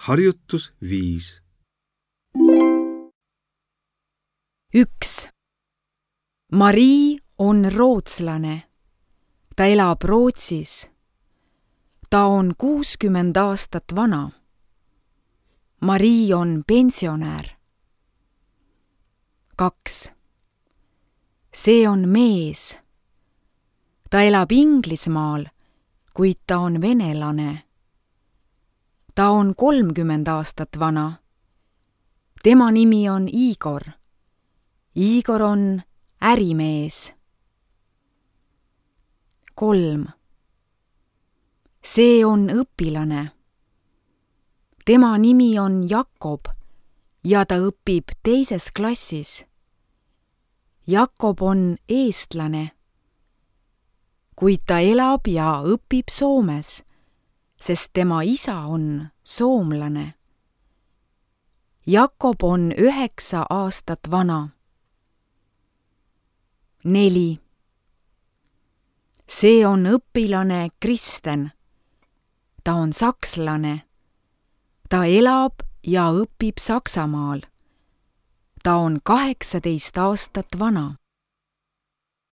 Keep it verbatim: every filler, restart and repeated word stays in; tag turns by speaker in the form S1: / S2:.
S1: Harjutus viis.
S2: üks. Marii on rootslane. Ta elab Rootsis. Ta on kuuskümmend aastat vana. Marii on pensionär. kaks. See on mees. Ta elab Inglismaal, kuid ta on venelane. Ta on kolmkümmend aastat vana. Tema nimi on Igor. Igor on ärimees. kolm. See on õpilane. Tema nimi on Jakob ja ta õpib teises klassis. Jakob on eestlane, kuid ta elab ja õpib Soomes, sest tema isa on soomlane. Jakob on üheksa aastat vana. neli. See on õpilane Kristen. Ta on sakslane. Ta elab ja õpib Saksamaal. Ta on kaheksateist aastat vana.